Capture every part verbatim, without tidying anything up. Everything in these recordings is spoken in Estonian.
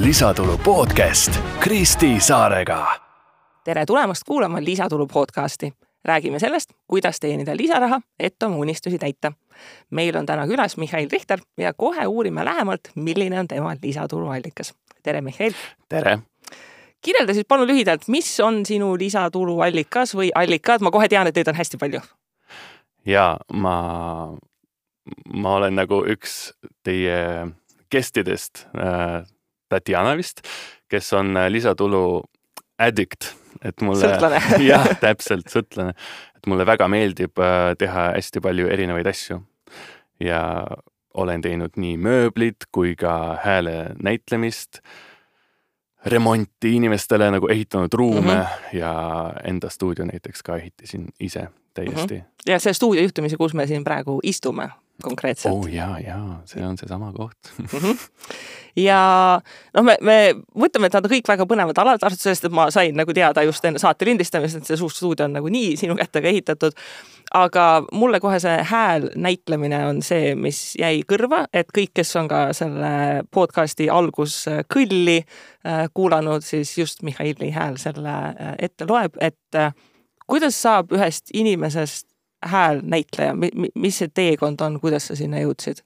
Lisatulu podcast Kristi Saarega. Tere tulemast kuulama Lisatulu podcasti. Räägime sellest, kuidas teenida lisaraha, et oma unistusi täita. Meil on täna külas Mihhail Richter ja kohe uurime lähemalt, milline on tema lisatulu allikas. Tere, Mihhail! Tere! Kirjelda siis palun lühidalt, mis on sinu lisatulu allikas või allikad? Ma kohe tean, et neid on hästi palju. Ja ma, ma olen nagu üks teie kestidest, äh, Tatjana vist, kes on lisatulu addict. Et mulle, sõltlane. jah, täpselt sõltlane. Et mulle väga meeldib äh, teha hästi palju erinevaid asju. Ja olen teinud nii mööblit kui ka hääle näitlemist, remonti inimestele nagu ehitanud ruume mm-hmm. ja enda stuudio näiteks ka ehitasin ise täiesti. Mm-hmm. Ja see stuudio juhtumisi, kus me siin praegu istume konkreetselt. Oh jaa, jaa, see on see sama koht. mm-hmm. Ja noh, me, me mõtleme, et nad on kõik väga põnevad alad, sellest, et ma sain nagu teada just enne saate lindistamist, et see suur stuudio on nagu nii sinu kättega ehitatud. Aga mulle kohe see hääl näitlemine on see, mis jäi kõrva, et kõik, kes on ka selle podcasti algus kõlli kuulanud, siis just Mihhaili hääl selle ette loeb, et kuidas saab ühest inimesest hääl näitleja, mis see teekond on, kuidas sa sinna jõudsid?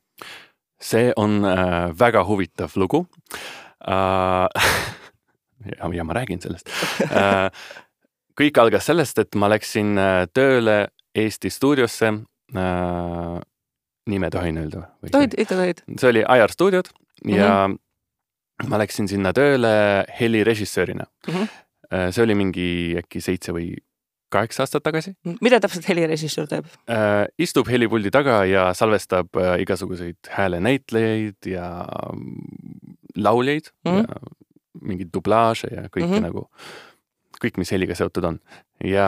See on äh, väga huvitav lugu. Äh, ja, ja ma räägin sellest. Äh, kõik algas sellest, et ma läksin tööle Eesti stuudiosse. Äh, nime tohin öelda? Tohid, ikka tohid. See oli Ajar stuudiod ja mm-hmm. ma läksin sinna tööle helirežissöörina. Mm-hmm. See oli mingi äkki seitse või kaheksa aastat tagasi. Mida täpselt helirežissöör teeb? Äh, istub helipuldi taga ja salvestab äh, igasuguseid hääle näitlejaid ja lauljaid mm-hmm. ja mingeid dublaaže ja kõike mm-hmm. nagu, kõik, mis heliga seotud on. Ja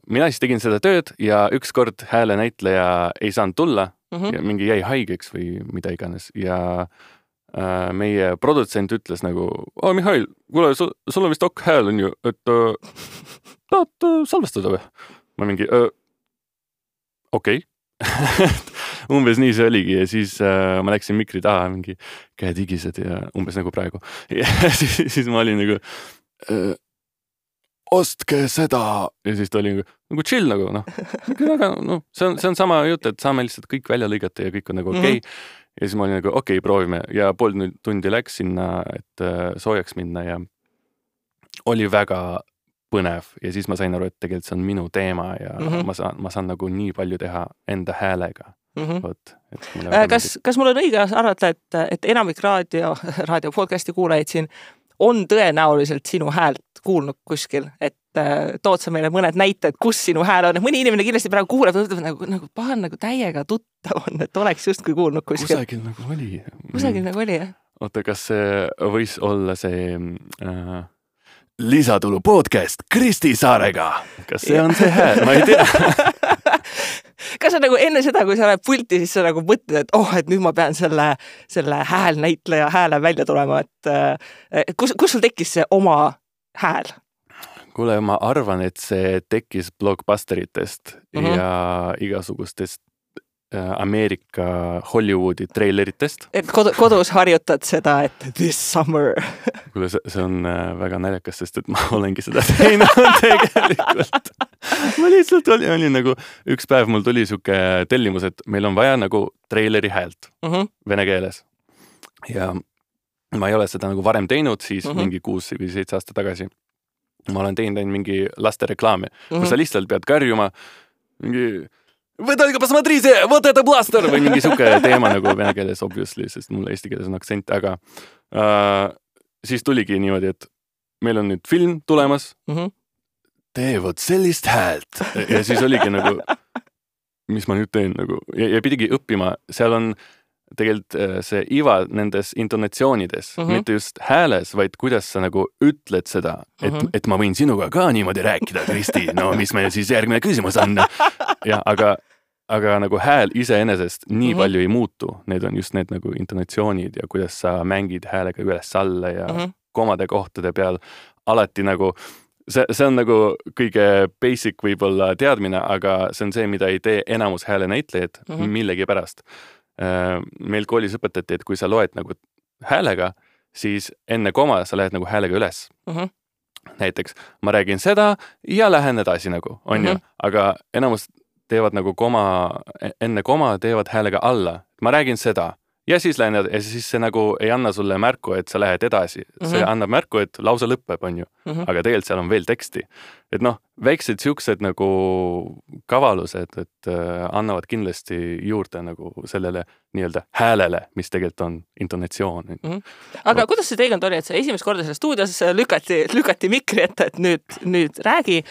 mina siis tegin seda tööd ja ükskord hääle näitleja ei saanud tulla mm-hmm. ja mingi jäi haigeks või mida iganes ja äh, meie produtsent ütles nagu, oh Mihhail, kuule, sul, sul on vist ok hääl on ju, et äh, tahad salvestada või? Ma mingi, öö, okei. Okay. Umbes nii see oligi ja siis äh, ma läksin mikri taha, mingi käed higised ja umbes nagu praegu. Ja siis, siis ma olin nagu, öö, ostke seda. Ja siis ta oli nagu, nagu chill nagu, noh. Väga, no, see, on, see on sama jutt, et saame lihtsalt kõik välja lõigata ja kõik on nagu okei. Okay. Mm-hmm. Ja siis ma olin nagu, okei, okay, proovime. Ja pool tundi läks sinna, et äh, soojaks minna ja oli väga põnev ja siis ma sain aru, et tegelikult see on minu teema ja mm-hmm. ma saan, ma saan nagu nii palju teha enda häälega. Mm-hmm. Võt, et äh, kas, kas mul on õige arvata, et, et enamik raadio, raadio podcasti kuulajaid siin on tõenäoliselt sinu häält kuulnud kuskil, et äh, tood sa meile mõned näited, kus sinu hääl on. Mõni inimene kindlasti praegu kuuleb, nagu, nagu pahan nagu täiega tuttav on, et oleks justkui kuulnud kuskil. Kusagil nagu oli. Kusagil nagu oli, jah. Oota, kas see võis olla see... Äh, Lisatulu podcast Kristi Saarega. Kas see on see hääl? Ma ei tea. Kas sa nagu enne seda, kui sa oled pulti, siis sa nagu mõtled, et oh, et nüüd ma pean selle, selle hääl näitleja hääle välja tulema, et kus, kus sul tekkis see oma hääl? Kuule, ma arvan, et see tekkis blockbusteritest mm-hmm. ja igasugustest Ameerika Hollywoodi treileritest. Et kod- kodus harjutad seda, et this summer. Kuule, see, see on väga naljakas, sest et ma olengi seda teinud tegelikult. Ma lihtsalt olin, olin nagu, üks päev mul tuli suke tellimus, et meil on vaja nagu treileri häält mm-hmm. vene keeles. Ja ma ei ole seda nagu varem teinud, siis mm-hmm. mingi kuus või seitse aasta tagasi. Ma olen teinud mingi laste reklaami, mm-hmm. kus sa lihtsalt pead karjuma mingi... Või только посмотрите, вот это бластер! Või mingi suke teema nagu vene keeles, obviously, sest mul eesti keeles on aktsent, aga äh, siis tuligi niimoodi, et meil on nüüd film tulemas, mm-hmm. tee vot sellist häält. Ja siis oligi nagu, mis ma nüüd teen nagu, ja, ja pidigi õppima, seal on tegelikult see iva nendes intonatsioonides, mm-hmm. mitte just hääles, vaid kuidas sa nagu ütled seda, et, mm-hmm. et ma võin sinuga ka niimoodi rääkida, Kristi, no mis meil siis järgmine küsimus on. Ja, aga, aga nagu hääl iseenesest nii mm-hmm. palju ei muutu. Need on just need nagu intonatsioonid ja kuidas sa mängid häälega üles alla ja mm-hmm. komade kohtade peal alati nagu, see, see on nagu kõige basic võib-olla teadmine, aga see on see, mida ei tee enamus hääle näitlejad mm-hmm. millegi pärast. Meil koolis õpetati, et kui sa loed nagu häälega, siis enne koma sa lähed nagu häälega üles. Mhm. Näiteks ma räägin seda ja lähen edasi nagu, on mm-hmm. ju, aga enamus teevad nagu koma, enne koma teevad häälega alla. Ma räägin seda ja siis lähen ja siis see nagu ei anna sulle märku, et sa lähed edasi. Mm-hmm. See annab märku, et lause lõpeb, on ju, mm-hmm. aga tegelikult seal on veel teksti. Et noh, väiksed siuksed nagu kavalused, et äh, annavad kindlasti juurde nagu sellele nii-öelda häälele, mis tegelikult on intonatsioon. Mm-hmm. Aga no. Kuidas see teekond oli, et see esimest korda selles stuudios lükati, lükati mikri ette, et nüüd, nüüd räägi.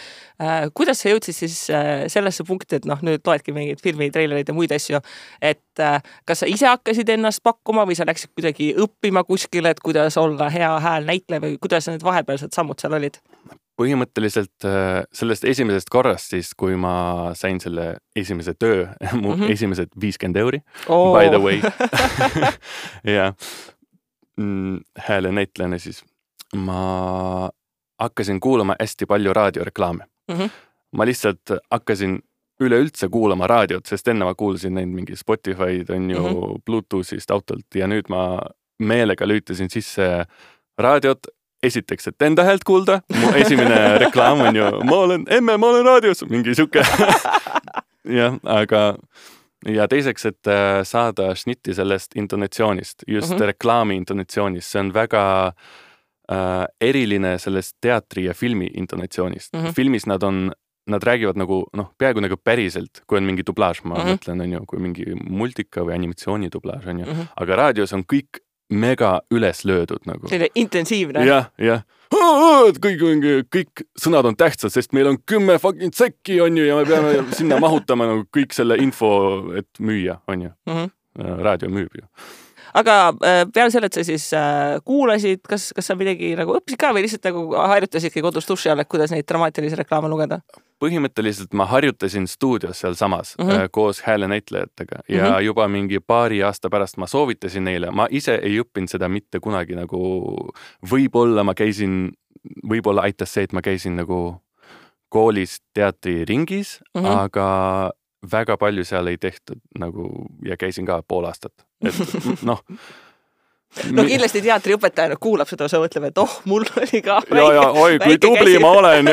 Äh, kuidas sa jõudsid siis äh, sellesse punkti, et noh, nüüd loedki mingid filmi, treilerid ja muid asju, et äh, kas sa ise hakkasid ennast pakkuma või sa läksid kuidagi õppima kuskile, et kuidas olla hea hääl näitleja või kuidas need vahepealsed sammud seal olid? Põhimõtteliselt sellest esimesest korrast siis, kui ma sain selle esimese töö, mu mm-hmm. esimesed viiskümmend euri, oh. by the way. ja hääle näitlejana siis ma hakkasin kuulama hästi palju raadioreklaame. Mm-hmm. Ma lihtsalt hakkasin üleüldse kuulama raadiot, sest enne ma kuulsin neid mingi Spotify'd on ju mm-hmm. Bluetooth'ist autolt ja nüüd ma meelega lüütasin sisse raadiot. Esiteks, et enda häält kuulda, mu esimene reklaam on ju, ma olen emme, ma olen raadios, mingi siuke. jah, aga ja teiseks, et saada šnitti sellest intonatsioonist, just mm-hmm. reklaami intonatsioonist, see on väga äh, eriline sellest teatri ja filmi intonatsioonist. Mm-hmm. Filmis nad on, nad räägivad nagu, noh, peaaegu nagu päriselt, kui on mingi dublaaž, ma mm-hmm. mõtlen, on ju, kui mingi multika või animatsiooni dublaaž, on ju, mm-hmm. aga raadios on kõik mega üles löödud nagu. Selline intensiivne. Jah, jah. Kõik, kõik sõnad on tähtsad, sest meil on kümme fucking sekki, on ju, ja me peame sinna mahutama nagu kõik selle info, et müüa, on ju. Mm-hmm. Raadio müüb ju. Aga peale selle, et sa siis kuulasid, kas, kas sa midagi nagu õppisid ka või lihtsalt nagu harjutasidki kodus duši all, et kuidas neid dramaatilisi reklaame lugeda? Põhimõtteliselt ma harjutasin stuudios seal samas mm-hmm. koos hääle näitlejatega ja mm-hmm. juba mingi paari aasta pärast ma soovitasin neile. Ma ise ei õppinud seda mitte kunagi nagu, võib-olla ma käisin, võib-olla aitas see, et ma käisin nagu koolis teatriringis, mm-hmm. aga väga palju seal ei tehtud nagu ja käisin ka pool aastat. Et noh. No kindlasti teatriõpetajana kuulab seda, sa mõtleb, et oh, mul oli ka väike, ja, ja, oi, kui tubli ma olen.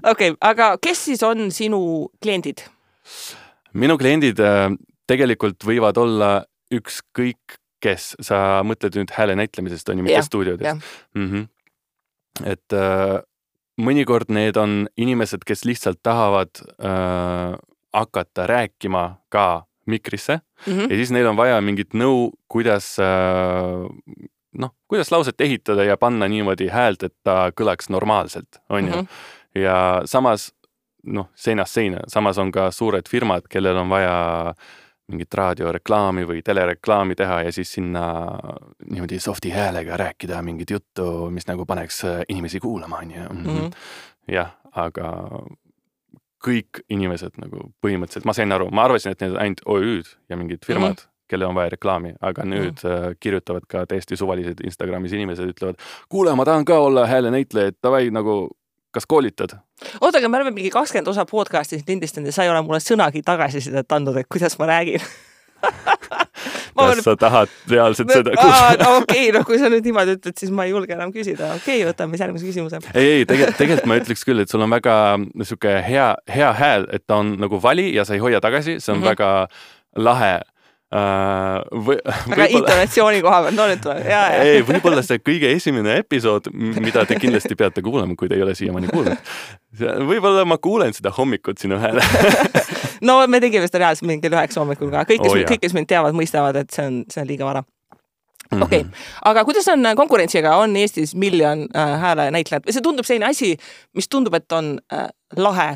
Okei, aga kes siis on sinu kliendid? Minu kliendid tegelikult võivad olla ükskõik kes. Sa mõtled nüüd hääle näitlemisest, on ju, mitte stuudiodest. Mm-hmm. Et äh, mõnikord need on inimesed, kes lihtsalt tahavad äh, hakata rääkima ka mikrisse mm-hmm. ja siis neil on vaja mingit nõu, kuidas, äh, noh, kuidas lauset ehitada ja panna niimoodi häält, et ta kõlaks normaalselt, on ju. Mm-hmm. Ja samas, noh, seinast seina, samas on ka suured firmad, kellel on vaja mingit raadioreklaami või telereklaami teha ja siis sinna niimoodi softi häälega rääkida mingit juttu, mis nagu paneks inimesi kuulama, on ju. Mm-hmm. Jah, aga kõik inimesed nagu põhimõtteliselt, ma sain aru, ma arvasin, et need ainult O Ü-d ja mingid firmad, mm-hmm. kelle on vaja reklaami, aga nüüd mm-hmm. kirjutavad ka täiesti suvalised Instagramis inimesed, ütlevad, kuule, ma tahan ka olla hääle näitleja, et davai nagu, kas koolitad? Oota, aga me oleme mingi kakskümmend osa podcastis lindistanud ja sa ei ole mulle sõnagi tagasisidet andnud, et kuidas ma räägin. kas olen... sa tahad reaalselt no, seda kuulda? Okei, okay, no kui sa nüüd niimoodi ütled, siis ma ei julge enam küsida. Okei, okay, võtame järgmise küsimuse. Ei, ei, tegelikult, tegelikult ma ütleks küll, et sul on väga niisugune hea, hea hääl, et ta on nagu vali ja sa ei hoia tagasi, see on mm-hmm. väga lahe. Uh, või, aga intonatsiooni koha peal, no nüüd tuleb. Ja, ja. Ei, võib-olla see kõige esimene episood, mida te kindlasti peate kuulama, kui te ei ole siiamaani kuulnud. Võib-olla ma kuulen seda hommikut sinu hääle. No me tegime seda reaalselt mingil üheksa hommikul ka. Kõik, kes, oh, kõik, kes mind teavad, mõistavad, et see on, see on liiga vara. Okei, okay. Aga kuidas on konkurentsiga? On Eestis miljon äh, hääle näitlejad? See tundub selline asi, mis tundub, et on äh, lahe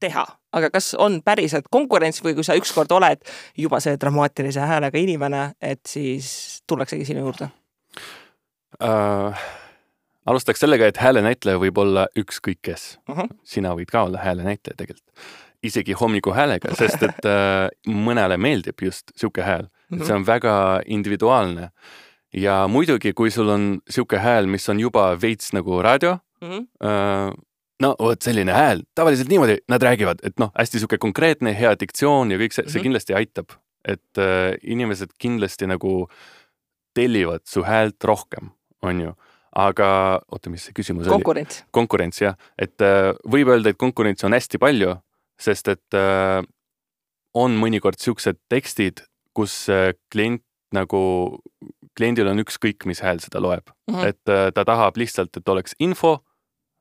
teha. Aga kas on päriselt konkurents või kui sa ükskord oled juba see dramaatilise häälega inimene, et siis tullaksegi sinu juurde? Uh, alustaks sellega, et hääle näitleja võib olla ükskõik kes. Uh-huh. Sina võid ka olla hääle näitleja tegelikult. Isegi hommiku häälega, sest et uh, mõnele meeldib just siuke hääl. Uh-huh. See on väga individuaalne. Ja muidugi, kui sul on siuke hääl, mis on juba veits nagu raadio, uh-huh. uh, no, võt selline hääl, tavaliselt niimoodi nad räägivad, et noh, hästi siuke konkreetne, hea diktsioon ja kõik see, see kindlasti aitab, et äh, inimesed kindlasti nagu tellivad su häält rohkem, on ju. Aga, oota, mis see küsimus konkurents. oli? Konkurents, jah. Et võib öelda, et konkurents on hästi palju, sest et on mõnikord siuksed tekstid, kus klient nagu, kliendil on ükskõik, mis hääl seda loeb. Mm-hmm. Et ta tahab lihtsalt, et oleks info,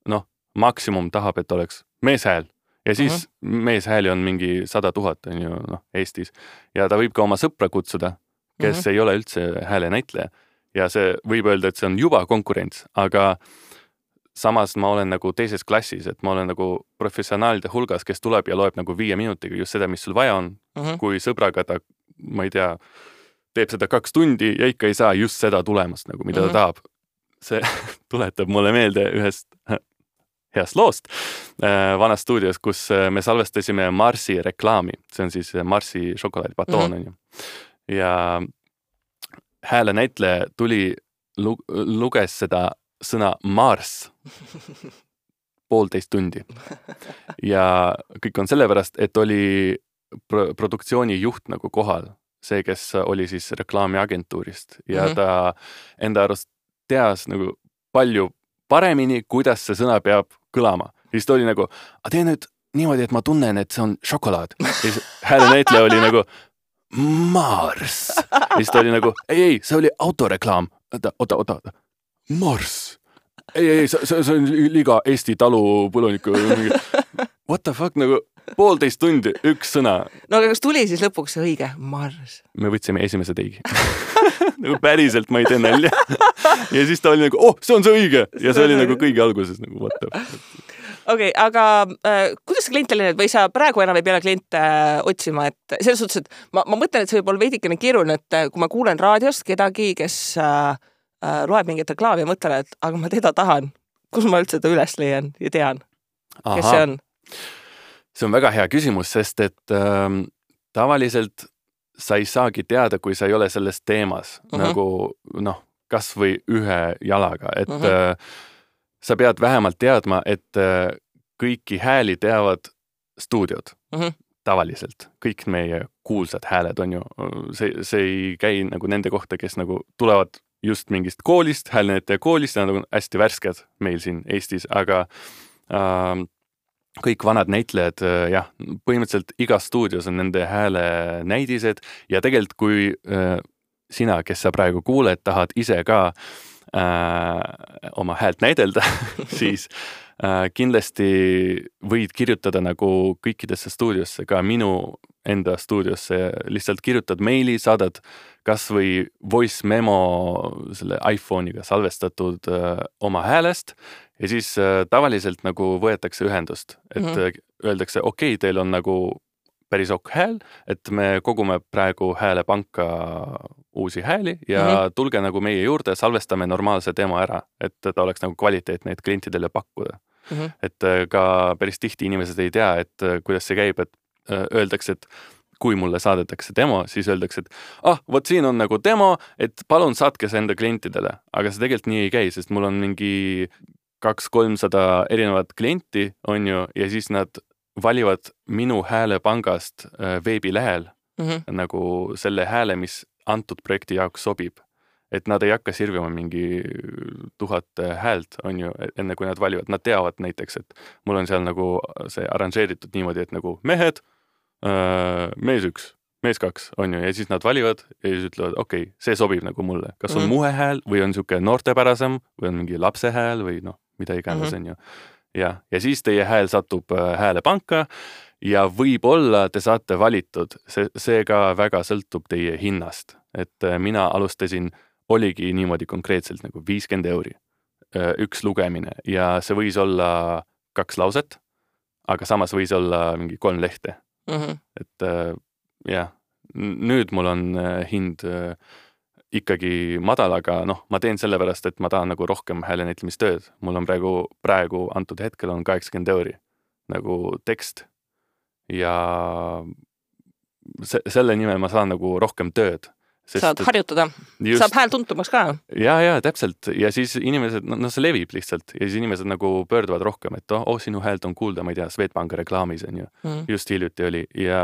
noh, maksimum tahab, et oleks meeshääl. Ja siis mm-hmm. meeshääli on mingi sada tuhat, on ju, noh, Eestis. Ja ta võib ka oma sõpra kutsuda, kes mm-hmm. ei ole üldse hääle näitleja. Ja see võib öelda, et see on juba konkurents, aga samas ma olen nagu teises klassis, et ma olen nagu professionaalide hulgas, kes tuleb ja loeb nagu viie minutiga just seda, mis sul vaja on. Mm-hmm. Kui sõbraga ta, ma ei tea, teeb seda kaks tundi ja ikka ei saa just seda tulemust, nagu mida mm-hmm. ta tahab. See tuletab mulle meelde ühest heast loost äh, vanas stuudios, kus me salvestasime Marsi reklaami. See on siis Marsi šokolaadipatoon, mm-hmm. on ju. Ja hääle näitleja tuli, luges seda sõna Mars poolteist tundi. Ja kõik on sellepärast, et oli pro- produktsiooni juht nagu kohal. See, kes oli siis reklaamiagentuurist. Ja mm-hmm. ta enda arust teas nagu palju paremini, kuidas see sõna peab kõlama. Ja siis ta oli nagu, a tee nüüd niimoodi, et ma tunnen, et see on šokolaad. Ja siis hääle näitleja oli nagu Mars. Ja siis ta oli nagu, ei, ei, see oli autoreklaam. Oota, oota, oota. Mars. Ei, ei, see, see on liiga Eesti talupõluniku. What the fuck, nagu poolteist tundi, üks sõna. No aga kas tuli siis lõpuks see õige? Mars. Me võtsime esimese teigi. Nagu päriselt ma ei tee nälja. Ja siis ta oli nagu, oh, see on see õige. Ja see oli nagu kõigi alguses nagu, what the fuck. Okei, okay, aga äh, kuidas see klient oli nüüd? Või sa praegu enam ei peale kliente äh, otsima? Et selles suhtes, et ma, ma mõtlen, et see võib olla veidikene keeruline, et äh, kui ma kuulen raadiost kedagi, kes äh, äh, loeb mingit reklaami ja mõtlen, et aga ma teda tahan. Kus ma üldse ta üles leian ja tean? Aha. Kes see on? See on väga hea küsimus, sest et äh, tavaliselt sa ei saagi teada, kui sa ei ole selles teemas uh-huh. nagu noh, kas või ühe jalaga, et uh-huh. äh, sa pead vähemalt teadma, et äh, kõiki hääli teavad stuudiod uh-huh. tavaliselt. Kõik meie kuulsad hääled on ju, see, see ei käi nagu nende kohta, kes nagu tulevad just mingist koolist, häälnäitaja koolist, ja nad on hästi värsked meil siin Eestis, aga äh, kõik vanad näitlejad, jah, põhimõtteliselt igas stuudios on nende hääle näidised ja tegelikult kui äh, sina, kes sa praegu kuuled, tahad ise ka äh, oma häält näidelda, siis äh, kindlasti võid kirjutada nagu kõikidesse stuudiosse, ka minu enda stuudiosse, lihtsalt kirjutad meili, saadad kas või voice memo selle iPhone'iga salvestatud äh, oma häälest ja siis äh, tavaliselt nagu võetakse ühendust, et mm-hmm. öeldakse, okei, okay, teil on nagu päris ok hääl, et me kogume praegu häälepanka uusi hääli ja mm-hmm. tulge nagu meie juurde, salvestame normaalse demo ära, et ta oleks nagu kvaliteetne, et klientidele pakkuda. Mm-hmm. Et äh, ka päris tihti inimesed ei tea, et äh, kuidas see käib, et äh, öeldakse, et kui mulle saadetakse demo, siis öeldakse, et ah, vot siin on nagu demo, et palun saatke see enda klientidele. Aga see tegelikult nii ei käi, sest mul on mingi kaks kolmsada erinevat klienti, on ju, ja siis nad valivad minu häälepangast veebilehel mm-hmm. nagu selle hääle, mis antud projekti jaoks sobib. Et nad ei hakka sirvima mingi tuhat häält, on ju, enne kui nad valivad. Nad teavad näiteks, et mul on seal nagu see arranžeeritud niimoodi, et nagu mehed, mees üks, mees kaks, on ju, ja siis nad valivad ja siis ütlevad, okei, okay, see sobib nagu mulle. Kas on mm. muhe hääl või on siuke noortepärasem või on mingi lapse hääl või noh, mida iganes mm-hmm. on ju. Ja, ja siis teie hääl satub häälepanka ja võib-olla te saate valitud. See, see ka väga sõltub teie hinnast. Et mina alustasin, oligi niimoodi konkreetselt nagu viiskümmend euri üks lugemine ja see võis olla kaks lauset, aga samas võis olla mingi kolm lehte. Mm-hmm. Et äh, jah, nüüd mul on äh, hind äh, ikkagi madal, aga noh, ma teen selle pärast, et ma tahan nagu rohkem häälenäitlemistööd. Mul on praegu, praegu antud hetkel on kaheksakümmend euri nagu tekst ja se- selle nimel ma saan nagu rohkem tööd. Sest, saad harjutada, just, saab hääl tuntumaks ka. Ja, ja, täpselt. Ja siis inimesed, no, no see levib lihtsalt ja siis inimesed nagu pöörduvad rohkem, et oh, sinu häält on kuulda, ma ei tea, Swedbanki reklaamis on ju. Mm. Just hiljuti oli ja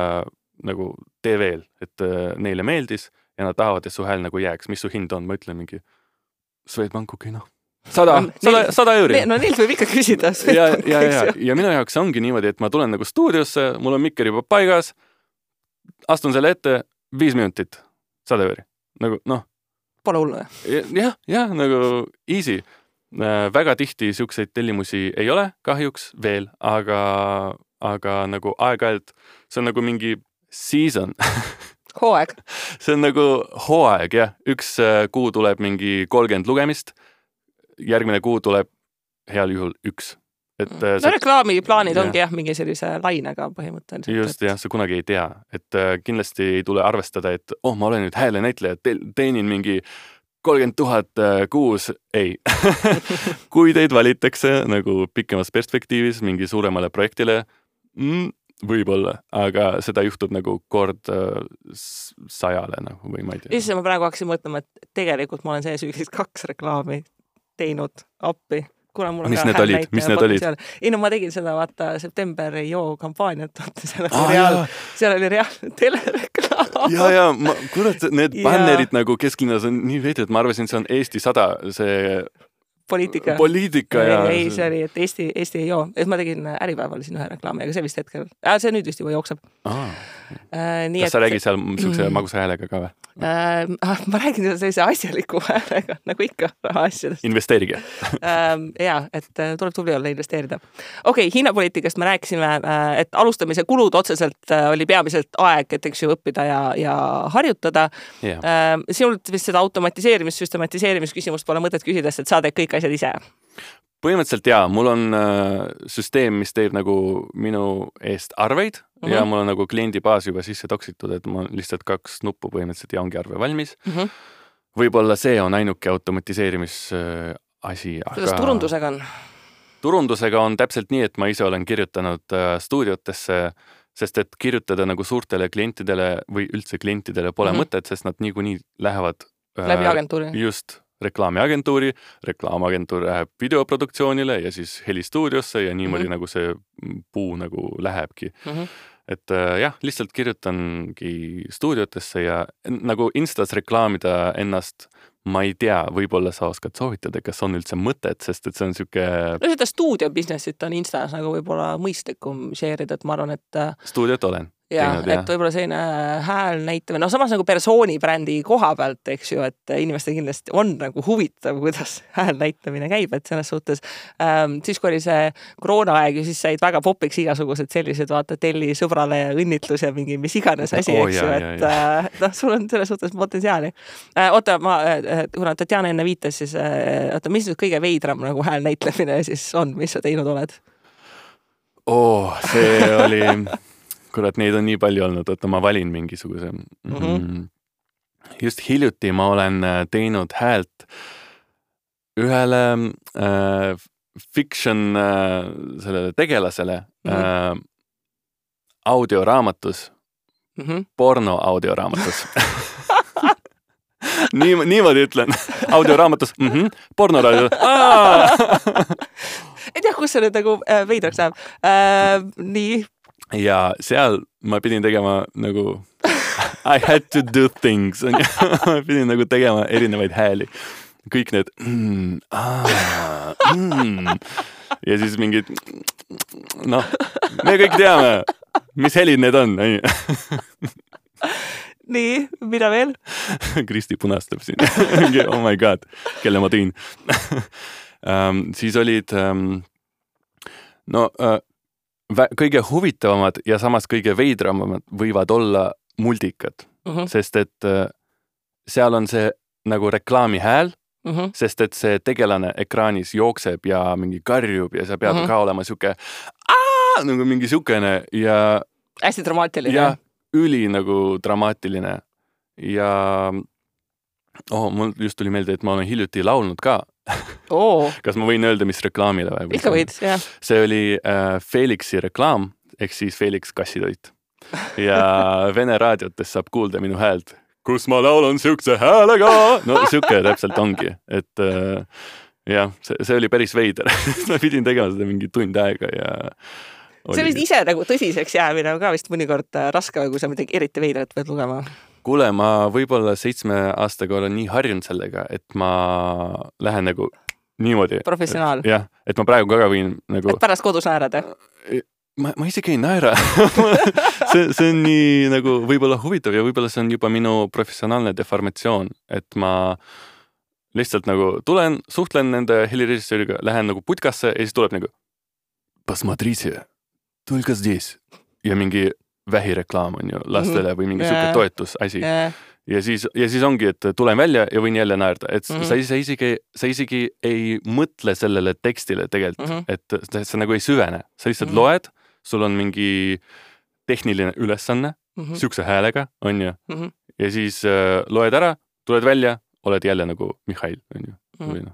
nagu tee veel, et uh, neile meeldis ja nad tahavad, et su hääl nagu jääks, mis su hind on, ma ütlen mingi Swedbank, okei okay, noh. sada, sada, sada euri. No neilt võib ikka küsida. Ja, ja, ja, ja minu jaoks ongi niimoodi, et ma tulen nagu stuudiosse, mul on mikker juba paigas, astun selle ette, viis minutit, sada euri. Nagu noh. Pole hullu. Jah, jah, nagu easy. Väga tihti siukseid tellimusi ei ole kahjuks veel, aga, aga nagu aeg-ajalt, see on nagu mingi season. Hooaeg. See on nagu hooaeg, jah. Üks kuu tuleb mingi kolmkümmend lugemist, järgmine kuu tuleb heal juhul üks. Et no see... reklaamiplaanid ja. Ongi jah, mingi sellise lainega põhimõtteliselt. Just, jah, sa kunagi ei tea. Et kindlasti ei tule arvestada, et oh, ma olen nüüd hääle näitleja, teenin mingi kolmkümmend tuhat kuus. Ei. Kui teid valitakse nagu pikemas perspektiivis mingi suuremale projektile, mm, võib-olla, aga seda juhtub nagu kord sajale nagu, või ma ei tea. Isse ma praegu hakkasin mõtlema, et tegelikult ma olen see süüksist kaks reklaami teinud appi. Kuna mul on mis need olid? Mis need olid? Ei, no ma tegin seda, vaata, septemberi joo kampaaniat, seal oli, ah, reaal, seal oli reaalne telereklaam. Ja, ja, ma, kurat, need ja. Bannerid nagu kesklinnas on nii veidi, et ma arvasin, see on Eesti sada, see poliitika. Poliitika ja... Ei, see oli, et Eesti, Eesti ei joo. Ma tegin Äripäeval siin ühe reklaami, aga see vist hetkel... Äh, see nüüd vist juba jookseb. Ah. Äh, nii, Kas et... sa räägid seal siukse mm. magusa häälega ka või? Äh, ma räägin sellise asjaliku häälega, nagu ikka asjadest. Investeerige. äh, ja, et tuleb tubli olla investeerida. Okei, okay, hinnapoliitikast me rääkisime, et alustamise kulud otseselt oli peamiselt aeg, et eks ju õppida ja, ja harjutada. Yeah. Äh, sinult vist seda automatiseerimis, süstematiseerimis küsimust pole mõtet küsida, et sa teed kõik asjad ise. Põhimõtteliselt jaa, mul on äh, süsteem, mis teeb nagu minu eest arveid mm-hmm. ja mul on nagu kliendibaas juba sisse toksitud, et ma lihtsalt kaks nuppu põhimõtteliselt ja ongi arve valmis. Mm-hmm. Võib-olla see on ainuke automatiseerimis äh, asi. Kuidas aga... turundusega on? Turundusega on täpselt nii, et ma ise olen kirjutanud äh, stuudiotesse, sest et kirjutada nagu suurtele klientidele või üldse klientidele pole mm-hmm. mõtet, sest nad niikuinii lähevad äh, läbi agentuuri. Just reklaamiagentuuri, reklaamagentuur läheb videoproduktsioonile ja siis helistuudiosse ja niimoodi mm-hmm. nagu see puu nagu lähebki. Mm-hmm. Et jah, lihtsalt kirjutangi stuudiotesse ja nagu Instas reklaamida ennast, ma ei tea, võib-olla sa oskad soovitada, kas on üldse mõtet, sest et see on siuke... No seda stuudiobusinessit on Instas nagu võib-olla mõistlikum share'ida, et ma arvan, et... Stuudiot olen. Ja, teinud, et võib-olla selline hääl näitamine, no samas nagu persooni brändi koha pealt, eks ju, et inimestel kindlasti on nagu huvitav, kuidas hääl näitamine käib, et selles suhtes ähm, siis, kui oli see koroonaaeg, siis said väga popiks igasugused sellised, vaata, telli sõbrale ja õnnitlus ja mingi mis iganes asi, oh, eks ju, et äh, noh, sul on selles suhtes potentsiaali. Äh, oota, ma, äh, kuna Tatjana enne viitas, siis äh, oota, mis nüüd kõige veidram nagu hääl näitlemine siis on, mis sa teinud oled? Oh, see oli... Kurat, neid on nii palju olnud, et ma valin mingisuguse. Mm-hmm. Just hiljuti ma olen teinud häält ühele äh, fiction äh, sellele tegelasele mm-hmm. äh, audioraamatus, mm-hmm. porno audioraamatus. Nii, niimoodi ütlen. Audioraamatus, mm-hmm. pornoraadio. Ei tea, kus see nüüd nagu äh, veidraks läheb. Äh, nii... Ja seal ma pidin tegema nagu I had to do things. Ma pidin nagu tegema erinevaid hääli. Kõik need mm, ah, mm. ja siis mingid noh, me kõik teame, mis helid need on. Nii, mida veel? Kristi punastab siin. Oh my god, kelle ma tõin. um, siis olid um, no uh, kõige huvitavamad ja samas kõige veidramad võivad olla muldikad, uh-huh. sest et seal on see nagu reklaami hääl, uh-huh. sest et see tegelane ekraanis jookseb ja mingi karjub ja sa pead uh-huh. ka olema siuke aah, nagu mingi siukene ja hästi dramaatiline. Ja üli nagu dramaatiline ja oh, mul just tuli meelde, et ma olen hiljuti laulnud ka. Oh. Kas ma võin öelda, mis reklaamile või? Ikka võid, jah. See oli äh, Felixi reklaam, ehk siis Felix kassitoit. Ja Vene raadiotes saab kuulda minu häält, kus ma laulan siukse häälega. No siuke täpselt ongi, et äh, jah, see, see oli päris veider. Ma pidin tegema seda mingi tund aega ja... See vist ise nagu tõsiseks jäämine ka vist mõnikord raske, kui sa midagi eriti veidrat pead lugema. kuule, ma võib-olla seitsme aastaga olen nii harjunud sellega, et ma lähen nagu niimoodi. Professionaal. Jah, et ma praegu ka võin nagu... Et pärast kodus naerada? Ma, ma isegi ei naera. see, see on nii nagu võib-olla huvitav ja võib-olla see on juba minu professionaalne deformatsioon, et ma lihtsalt nagu tulen, suhtlen nende helirežissööriga, lähen nagu putkasse ja siis tuleb nagu посмотрите, только здесь. Ja mingi vähireklaam on ju lastele või mingi yeah. suke toetusasi. Yeah. Ja siis, ja siis ongi, et tulen välja ja võin jälle naerda. Et mm -hmm. sa, sa, isegi, sa isegi ei mõtle sellele tekstile tegelikult, mm -hmm. et sa, sa nagu ei süvene. Sa lihtsalt mm -hmm. loed, sul on mingi tehniline ülesanne, mm -hmm. siukse häälega, on ju. Mm -hmm. Ja siis äh, loed ära, tuled välja, oled jälle nagu Mihhail, on ju. Mm -hmm.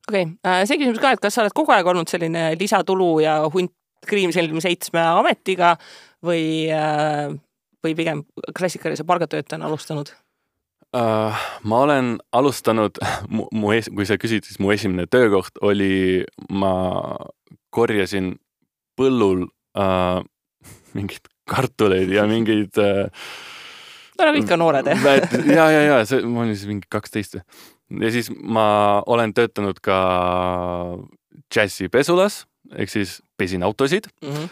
Okei, okay. See küsimus ka, et kas sa oled kogu aeg olnud selline lisatulu ja hunt Kriimselmi seitsme ametiga või... Äh... või pigem klassikalise palgatöötajana alustanud? Uh, ma olen alustanud, mu, mu es, kui sa küsid, siis mu esimene töökoht oli, ma korjasin põllul uh, mingid kartuleid ja mingid... Uh, no nagu ikka noored, eh? ja, ja, ja, see, ma olin siis mingi kaksteist. Ja siis ma olen töötanud ka Jazzi pesulas, ehk siis pesin autosid. Mm-hmm.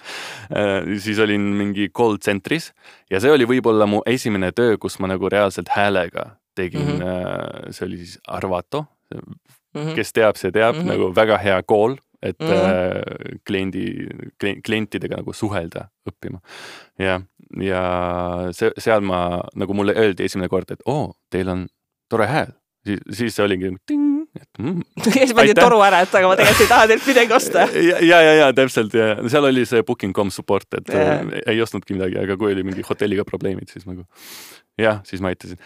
Uh, siis olin mingi call centris ja see oli võib-olla mu esimene töö, kus ma nagu reaalselt häälega tegin. Mm-hmm. Uh, see oli siis Arvato. Mm-hmm. Kes teab, see teab. Mm-hmm. Nagu väga hea kool, et mm-hmm. uh, kliendi, klientidega nagu suhelda õppima. Ja, ja see, seal ma, nagu mulle öeldi esimene kord, et oo, teil on tore hääl. Siis, siis see oligi ting, et mm, ja siis pandi toru ära, et aga ma tegelikult ei taha teilt midagi osta. ja, ja, ja, ja täpselt. Ja. Seal oli see booking dot com support, et yeah. ei ostnudki midagi, aga kui oli mingi hotelliga probleemid, siis nagu jah, siis ma aitasin.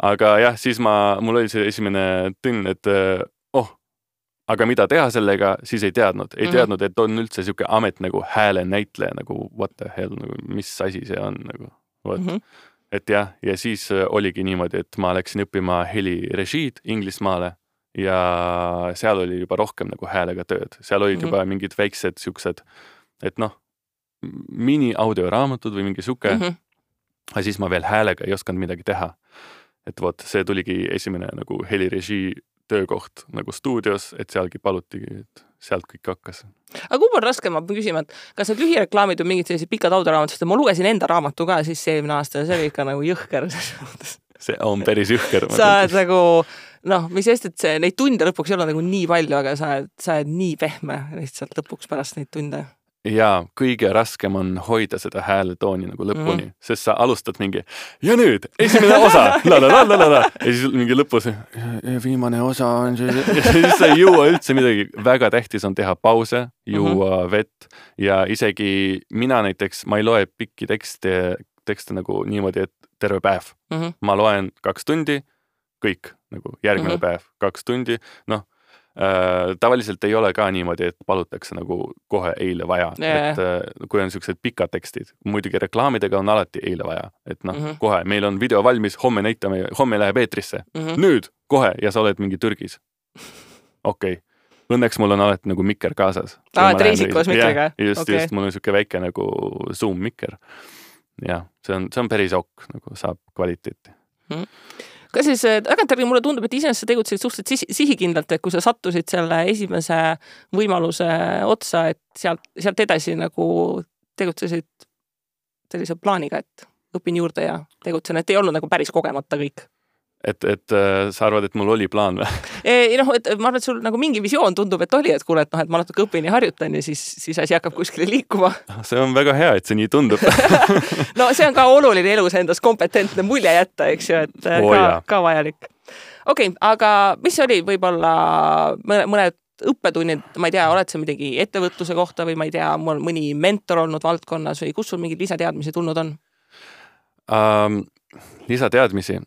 Aga jah, siis ma, mul oli see esimene tünn, et oh, aga mida teha sellega, siis ei teadnud. Ei mm-hmm. teadnud, et on üldse siuke amet nagu hääle näitleja, nagu what the hell, nagu, mis asi see on nagu, what. Mm-hmm. Et jah, ja siis oligi niimoodi, et ma läksin õppima helirežiid Inglismaale ja seal oli juba rohkem nagu häälega tööd. Seal olid mm-hmm. juba mingid väiksed siuksed, et noh, mini-audioraamatud või mingi suke. Mm-hmm. Ja siis ma veel häälega ei osanud midagi teha. Et vot, see tuligi esimene nagu helirežii töökoht nagu stuudios, et sealgi palutigi, et sealt kõik hakkas. Aga kumb on raske, ma pean küsima, et kas need lühireklaamid on mingid sellised pikad audioraamatud, ma lugesin enda raamatu ka siis eelmine aasta ja see oli ikka nagu jõhker. See on päris jõhker. Sa oled nagu, noh, mis sest, et see, neid tunde lõpuks ei ole nagu nii palju, aga sa oled, sa oled nii pehme lihtsalt lõpuks pärast neid tunde. Ja kõige raskem on hoida seda hääletooni nagu lõpuni, mm-hmm. sest sa alustad mingi ja nüüd esimene osa la, la, la, la, la. Ja siis mingi lõpus ja, ja viimane osa on see ja siis sa ei jõua üldse midagi. Väga tähtis on teha pause, juua mm-hmm. vett ja isegi mina näiteks, ma ei loe pikki tekste, tekste nagu niimoodi, et terve päev. Mm-hmm. Ma loen kaks tundi, kõik nagu järgmine mm-hmm. päev, kaks tundi, noh Äh, tavaliselt ei ole ka niimoodi, et palutakse nagu kohe eile vaja, yeah. et äh, kui on siuksed pikad tekstid, muidugi reklaamidega on alati eile vaja, et noh, mm-hmm. kohe, meil on video valmis, homme näitame, homme läheb eetrisse, mm-hmm. nüüd, kohe ja sa oled mingi Türgis. Okei, okay. Õnneks mul on alati nagu mikker kaasas. Aa, et reisikos mikkeriga? Just, okay. just, mul on siuke väike nagu Zoom mikker. Ja, see on, see on päris ok, nagu saab kvaliteeti. Mm-hmm. Kas siis tagantjärgi mulle tundub, et iseenesest sa tegutsid suhteliselt sihikindlalt, et kui sa sattusid selle esimese võimaluse otsa, et sealt, sealt edasi nagu tegutsesid sellise plaaniga, et õpin juurde ja tegutsen, et ei olnud nagu päris kogemata kõik. Et, et sa arvad, et mul oli plaan või? Ei, noh, et ma arvan, et sul nagu mingi visioon tundub, et oli, et kuule, et, noh, et ma natuke õpin ja harjutan ja siis, siis asi hakkab kuskile liikuma. See on väga hea, et see nii tundub. No see on ka oluline elus endas kompetentne mulje jätta, eks ju, et oh, ka, ka vajalik. Okei, okay, aga mis oli võib-olla mõned õppetunnid, ma ei tea, oled sa midagi ettevõtluse kohta või ma ei tea, mul mõni mentor olnud valdkonnas või kus sul mingid lisateadmisi tulnud on? Um, lisateadmisi?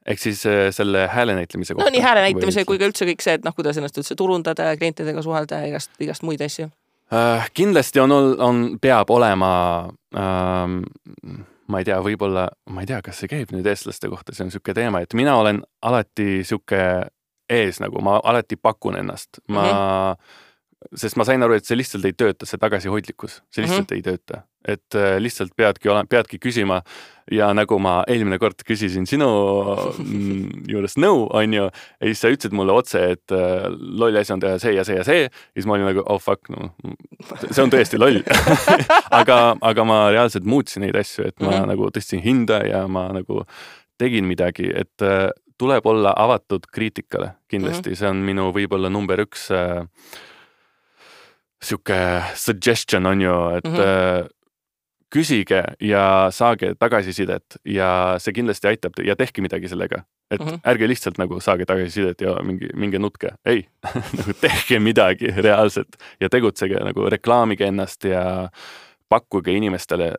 Ehk siis selle hääle näitlemise kohta. No nii hääle näitlemise kui ka üldse kõik see, et noh, kuidas ennast üldse turundada ja klientidega suhelda ja igast, igast muid asju. Uh, kindlasti on, on, peab olema, uh, ma ei tea, võib-olla, ma ei tea, kas see käib nüüd eestlaste kohta, see on siuke teema, et mina olen alati siuke ees nagu, ma alati pakun ennast. Ma, mm-hmm. sest ma sain aru, et see lihtsalt ei tööta, see tagasihoidlikkus, see lihtsalt mm -hmm. ei tööta. Et lihtsalt peadki, peadki küsima ja nagu ma eelmine kord küsisin sinu juures nõu, on ju, ja siis sa ütlesid mulle otse, et lolli asi on teha see ja see ja see, ja siis ma olin nagu, oh fuck, no, see on tõesti loll. aga, aga ma reaalselt muutsin neid asju, et ma mm -hmm. nagu tõstsin hinda ja ma nagu tegin midagi, et tuleb olla avatud kriitikale kindlasti, mm -hmm. see on minu võib-olla number üks äh, siuke suggestion on ju, et mm -hmm. küsige ja saage tagasisidet ja see kindlasti aitab ja tehke midagi sellega. Et mm -hmm. ärge lihtsalt nagu saage tagasisidet ja mingi, mingi nutke. Ei, nagu tehke midagi reaalselt ja tegutsege, nagu reklaamige ennast ja pakkuge inimestele.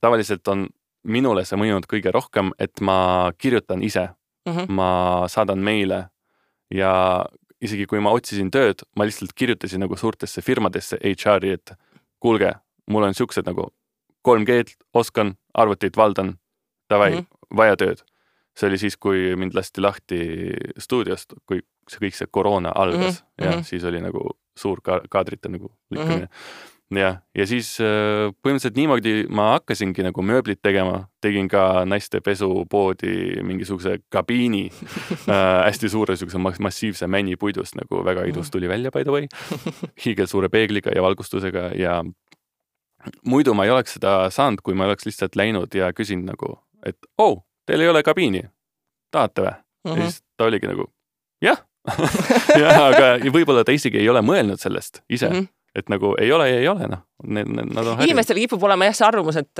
Tavaliselt on minule see mõjunud kõige rohkem, et ma kirjutan ise. Mm -hmm. Ma saadan meile ja isegi kui ma otsisin tööd, ma lihtsalt kirjutasin nagu suurtesse firmadesse H R-i, et kuulge, mul on siuksed nagu kolm G-d, oskan, arvutit valdan, davai, mm -hmm. vaja tööd. See oli siis, kui mind lasti lahti stuudiost, kui see kõik see koroona algas mm -hmm. ja siis oli nagu suur ka kaadrite nagu lükkamine. Mm -hmm. ja, ja siis põhimõtteliselt niimoodi ma hakkasingi nagu mööblit tegema, tegin ka naiste pesupoodi mingisuguse kabiini äh, hästi suure siukse massiivse männipuidust, nagu väga idus tuli välja, by the way, hiigel suure peegliga ja valgustusega ja muidu ma ei oleks seda saanud, kui ma oleks lihtsalt läinud ja küsin nagu, et oh, teil ei ole kabiini, tahate või? Mm -hmm. Ja siis ta oligi nagu, jah. ja, aga võib-olla ta isegi ei ole mõelnud sellest ise. Mm -hmm. Et nagu ei ole ja ei ole, noh. Need, need, nad on inimestel kipub olema jah see arvamus, et,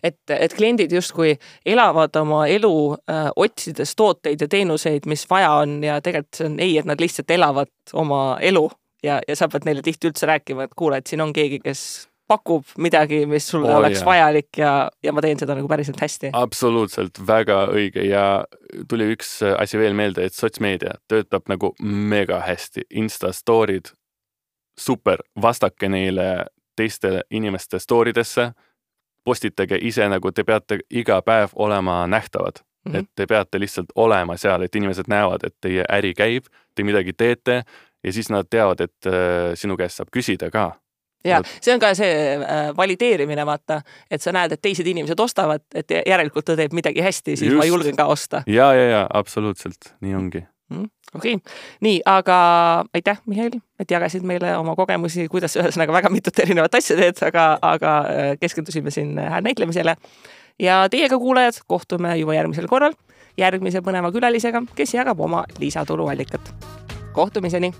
et, et kliendid justkui elavad oma elu äh, otsides tooteid ja teenuseid, mis vaja on ja tegelikult see on ei, et nad lihtsalt elavad oma elu ja, ja sa pead neile tihti üldse rääkima, et kuule, et siin on keegi, kes pakub midagi, mis sulle oh, oleks yeah. vajalik ja, ja ma teen seda nagu päriselt hästi. Absoluutselt, väga õige ja tuli üks asi veel meelde, et sotsmeedia töötab nagu mega hästi. Insta-stoorid, super, vastake neile teiste inimeste stooridesse, postitage ise, nagu te peate iga päev olema nähtavad. Mm -hmm. Et te peate lihtsalt olema seal, et inimesed näevad, et teie äri käib, te midagi teete ja siis nad teavad, et äh, sinu käest saab küsida ka. Ja see on ka see äh, valideerimine, vaata, et sa näed, et teised inimesed ostavad, et järelikult ta teeb midagi hästi, siis Just. ma julgen ka osta. Ja, ja, ja, absoluutselt, nii ongi. Mm, okei, okay. Nii, aga aitäh, Mihhail, et jagasid meile oma kogemusi, kuidas ühesõnaga väga mitut erinevat asja teed, aga, aga keskendusime siin näitlemisele. Ja teiega kuulajad, kohtume juba järgmisel korral järgmise põneva külalisega, kes jagab oma lisatuluallikat. Kohtumiseni!